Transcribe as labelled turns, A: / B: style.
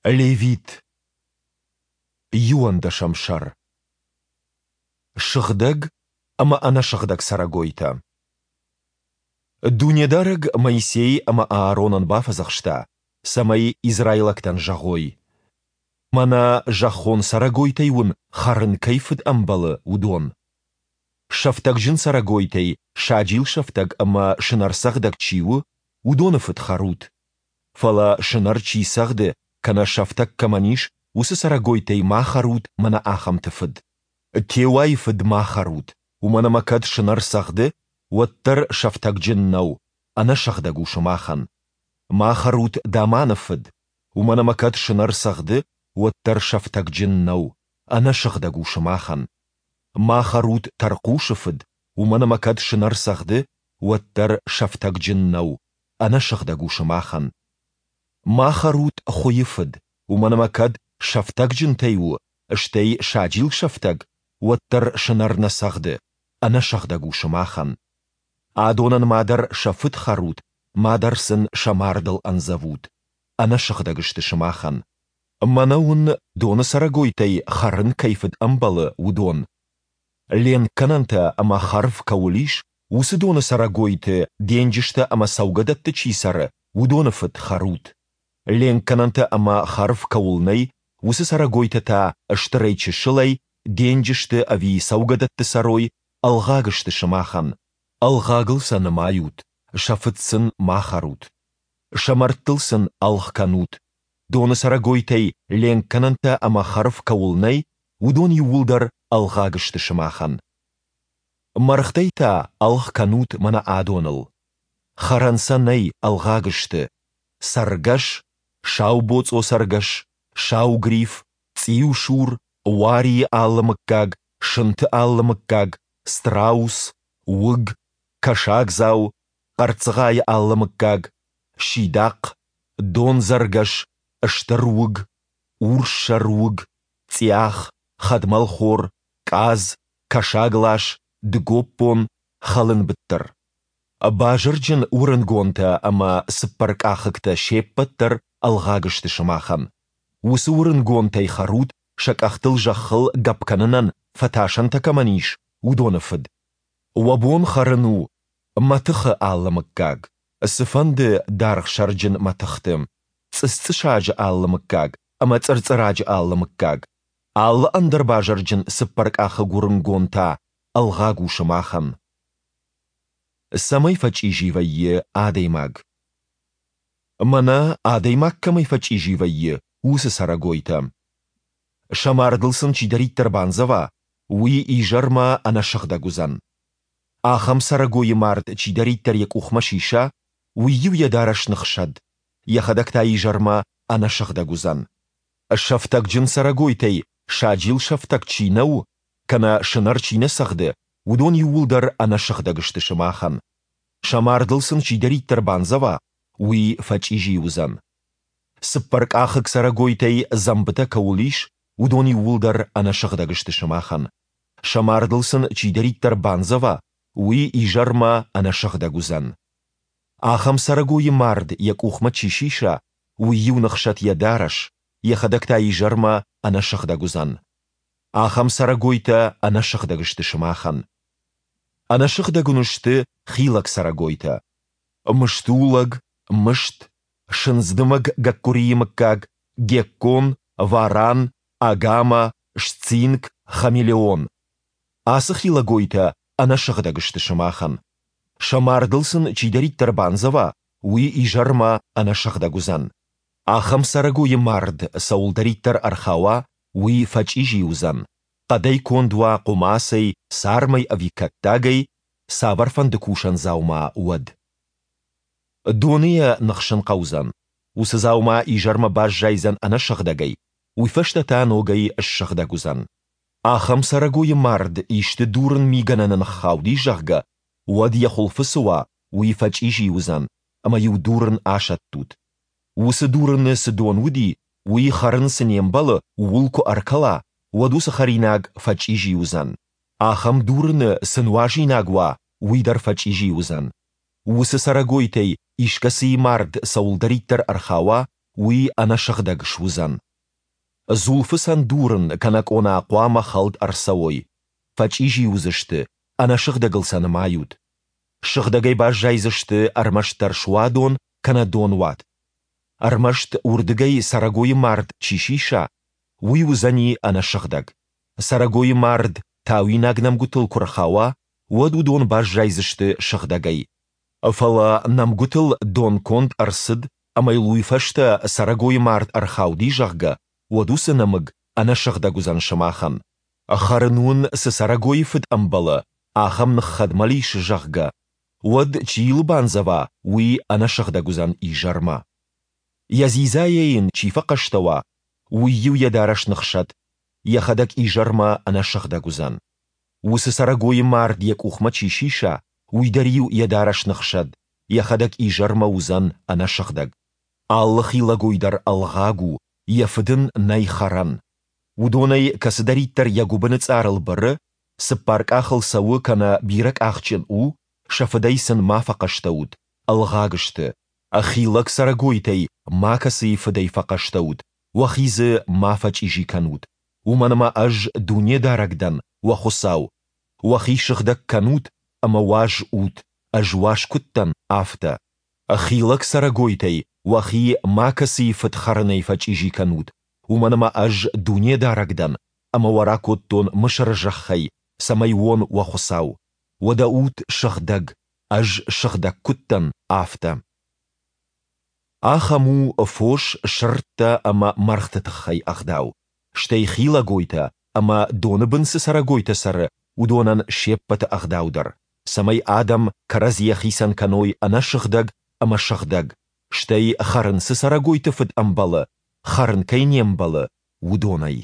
A: Левит. Иуӕндӕсӕм сӕр. Сыгъдӕг ӕмӕ ӕнӕсыгъдӕг цӕрӕгойтӕ. Дунедарӕг Моисей ӕмӕ Ааронӕн бафӕдзӕхста, цӕмӕй израилӕгтӕн зӕгъой: Мӕнӕ зӕххон цӕрӕгойтӕй уын хӕрын кӕй фыд ӕмбӕлы, уыдон. Сӕфтӕгджын цӕрӕгойтӕй саджил сӕфтӕг ӕмӕ сынӕрцӕгъдӕг чи у, уыдоны фыд хӕрут. Фӕлӕ сынӕр чи цӕгъды кӕнӕ сӕфтӕг кӕмӕн ис, уыцы цӕрӕгойтӕй ма хӕрут мӕнӕ ахӕмты фыд. Теуайы фыд ма хӕрут, уымӕн ӕмӕ кӕд сынӕр цӕгъды, уӕддӕр сӕфтӕгджын нӕу, ӕнӕсыгъдӕг у сымахӕн. Ма хӕрут даманы фыд, уымӕн ӕмӕ кӕд сынӕр цӕгъды, уӕддӕр сӕфтӕгджын нӕу, ӕнӕсыгъдӕг у сымахӕн. Ма хӕрут тӕрхъусы фыд, уымӕн ӕмӕ кӕд сынӕр цӕгъды, уӕддӕр сӕфтӕгджын нӕу, ӕнӕсыгъдӕг у сымахӕн. Ма хӕрут хуыйы фыд, уымӕн ӕмӕ кӕд сӕфтӕгджынтӕй у, стӕй саджил сӕфтӕг, уӕддӕр сынӕр нӕ цӕгъды, ӕнӕсыгъдӕг у сымахӕн. Адонӕн мадӕр сӕ фыд хӕрут, мадӕр сын сӕ мардыл ӕндзӕвут, ӕнӕсыгъдӕг сты сымахӕн. Мӕнӕ уын доны цӕрӕгойтӕй хӕрын кӕй фыд ӕмбӕлы, уыдон. Ленкгӕнӕнтӕ ӕмӕ хӕрв кӕуыл ис, уыцы доны цӕрӕгойты, денджызтӕ ӕмӕ цӕугӕдӕтты чи цӕры, уыдоны фыд хӕрут. Ленкгӕнӕнтӕ ӕмӕ хӕрв кӕуыл нӕй, уыцы цӕрӕгойтӕ та стырӕй-чысылӕй, денджызты ӕви цӕугӕдӕтты цӕрой, ӕлгъаг сты сымахӕн. Ӕлгъагыл сӕ нымайут, сӕ фыд сын ма хӕрут. Сӕ мӕрдтыл сын ӕлгъ кӕнут. Доны цӕрӕгойтӕй ленкгӕнӕнтӕ ӕмӕ хӕрв кӕуыл нӕй, уыдон иууылдӕр ӕлгъаг сты сымахӕн. Мӕргътӕй та ӕлгъ кӕнут мӕнӕ адоныл. Хӕрӕн сӕ нӕй, ӕлгъаг сты. Цӕргӕс, саубоцъо цӕргӕс, сау гриф, цъиусур, уарийы алы мыггаг, сынты алы мыггаг, страус, уыг, кӕсагдзау, хъӕрццыгъайы алы мыггаг, сидахъ, дондзӕргӕс, стыр уыг, урссӕр уыг, цъиах, хӕдмӕлхор, къадз, кӕсаглас, дыгоппон, хӕлынбыттыр. Базырджын уырынгонтӕ ӕмӕ цыппӕркъахыгтӕ се ппӕт дӕр ӕлгъаг сты сымахӕн. Уыцы уырынгонтӕй хӕрут, сӕ къӕхтыл зӕххыл гӕпп кӕнынӕн фӕтасӕнтӕ кӕмӕн ис, уыдоны фыд. Уӕ бон хӕрын у мӕтыхы алы мыггаг, цыфӕнды даргъсӕрджын мӕтыхты, цъысцъысаджы алы мыггаг ӕмӕ цъырцъыраджы алы мыггаг. Алы ӕндӕр базырджын цыппӕркъахыг уырынгон та ӕлгъаг у сымахӕн. Цӕмӕй фӕчъизи вӕййы адӕймаг? Мӕнӕ адӕймаг кӕмӕй фӕчъизи вӕййы, уыцы цӕрӕгойтӕ. Сӕ мардыл сын чидӕриддӕр бандзӕва, уый изӕрмӕ ӕнӕсыгъдӕг уыдзӕн. Ахӕм цӕрӕгойы мард чидӕриддӕр йӕ къухмӕ сиса, уый-иу йӕ дарӕс ныхсӕд, йӕхӕдӕг та изӕрмӕ ӕнӕсыгъдӕг уыдзӕн. Сӕфтӕгджын цӕрӕгойтӕй саджил сӕфтӕг чи нӕу, кӕнӕ сынӕр чи нӕ цӕгъды, уыдон иууылдӕр ӕнӕсыгъдӕг сты сымахӕн. Сӕ мардыл сын чидӕриддӕр бандзӕва, уый фӕчъизи уыдзӕн. Цыппӕркъахыг цӕрӕгойтӕй дзӕмбытӕ кӕуыл ис, уыдон иууылдӕр ӕнӕсыгъдӕг сты сымахӕн. Сӕ мардыл сын чидӕриддӕр бандзӕва, уый изӕрмӕ ӕнӕсыгъдӕг уыдзӕн. Ахӕм цӕрӕгойы мард йӕ къухмӕ чи сиса, уый-иу ныхсӕд йӕ дарӕс, йӕхӕдӕг та изӕрмӕ ӕнӕсыгъдӕг уыдзӕн. Ахӕм цӕрӕгойтӕ ӕнӕсыгъдӕг сты сымахӕн. Ӕнӕсыгъдӕг уын сты хилӕг цӕрӕгойтӕ. Мыстулӕг, мыст, сындздымӕг гӕккуырийы мыггаг, геккон, варан, агама, сцинк, хамелеон. Ацы хилӕгойтӕ ӕнӕсыгъдӕг сты сымахӕн. Сӕ мардыл сын чидӕриддӕр бандзӕва, уый изӕрмӕ ӕнӕсыгъдӕг уыдзӕн. Ахӕм цӕрӕгойы мард цӕуылдӕриддӕр ӕрхауа, уый фӕчъизи уыдзӕн, хъӕдӕй конд уа хъуымацӕй, цармӕй ӕви кӕттагӕй, цавӕрфӕнды кусӕн дзаума уӕд. Доны йӕ ныхсын хъӕудзӕн. Уыцы дзаума изӕрмӕ баззайдзӕн ӕнӕсыгъдӕгӕй, уый фӕстӕ та ногӕй ссыгъдӕг уыдзӕн. Ахӕм цӕрӕгойы мард исты дурын мигӕнӕны ныххауди, зӕгъгӕ, уӕд йӕ хуылфы цы уа, уый фӕчъизи уыдзӕн, ӕмӕ-иу дурын асӕттут. Уыцы дурыны цы дон уыди, уый хӕрын цы не мбӕлы, ууыл куы ӕркӕла, уӕд уыцы хӕринаг фӕчъизи уыдзӕн. Ахӕм дурыны цы нуазинаг уа, уый дӕр фӕчъизи уыдзӕн. Уыцы цӕрӕгойтӕй искӕцыйы мард цӕуылдӕриддӕр ӕрхауа, уый ӕнӕсыгъдӕг суыдзӕн. Дзулфыцӕн дурын кӕнӕ къона хъуамӕ хӕлд ӕрцӕуой, фӕчъизи уыдзысты, ӕнӕсыгъдӕгыл сӕ нымайут. Сыгъдӕгӕй баззайдзысты ӕрмӕстдӕр суадон кӕнӕ донуат. Ӕрмӕст уырдыгӕй цӕрӕгойы мард чи сиса, уый уыдзӕни ӕнӕсыгъдӕг. Цӕрӕгойы мард тауинаг нӕмгуытыл куы рхауа, уӕд уыдон баззайдзысты сыгъдӕгӕй. Фӕлӕ нӕмгуытыл дон конд ӕрцыд ӕмӕ йыл уый фӕстӕ цӕрӕгойы мард ӕрхауди, зӕгъгӕ, уӕд уыцы нӕмыг ӕнӕсыгъдӕг уыдзӕн сымахӕн. Хӕрын уын цы цӕрӕгойы фыд ӕмбӕлы, ахӕм ныххӕдмӕл ис, зӕгъгӕ, уӕд, чи йыл бандзӕва, уый ӕнӕсыгъдӕг уыдзӕн изӕрмӕ. Йӕ дзидзайӕ йын чи фӕхъӕстӕ уа, уый-иу йӕ дарӕс ныхсӕд, йӕхӕдӕг изӕрмӕ ӕнӕсыгъдӕг уыдзӕн. Уыцы цӕрӕгойы мард йӕ къухмӕ чи сиса, уый дӕр-иу йӕ дарӕс ныхсӕд, йӕхӕдӕг изӕрмӕ уыдзӕн ӕнӕсыгъдӕг. Алы хилӕгой дӕр ӕлгъаг у, йӕ фыд ын нӕй хӕрӕн. Уыдонӕй кӕцыдӕриддӕр йӕ гуыбыны цъарыл быры, цыппар къахыл цӕуы кӕнӕ бирӕкъахджын у, сӕ фыдӕй сын ма фӕхъӕстӕ ут, ӕлгъаг сты. Хилӕг цӕрӕгойтӕй макӕцыйы фыдӕй фӕхъӕстӕ ут, уӕхи дзы ма фӕчъизи кӕнут, уымӕн ӕмӕ Ӕз Дунедарӕг дӕн, уӕ Хуыцау. Уӕхи сыгъдӕг кӕнут ӕмӕ уаз ут, Ӕз уаз куыд дӕн, афтӕ. Хилӕг цӕрӕгойтӕй уӕхи макӕцыйы фыд хӕрынӕй фӕчъизи кӕнут, уымӕн ӕмӕ Ӕз Дунедарӕг дӕн, ӕмӕ уӕ ракодтон Мысыры зӕххӕй, цӕмӕй уон уӕ Хуыцау. Уӕдӕ ут сыгъдӕг, Ӕз сыгъдӕг куыд дӕн, афтӕ. Ахӕм у фос, сырдтӕ ӕмӕ мӕргъты тыххӕй ӕгъдау, стӕй хилӕгойтӕ ӕмӕ доны бын цы цӕрӕгойтӕ цӕры, уыдонӕн се ппӕты ӕгъдау дӕр, цӕмӕй адӕм кӕрӕдзийӕ хицӕн кӕной ӕнӕсыгъдӕг ӕмӕ сыгъдӕг, стӕй хӕрын цы цӕрӕгойты фыд ӕмбӕлы, хӕрын кӕй не мбӕлы, уыдонӕй.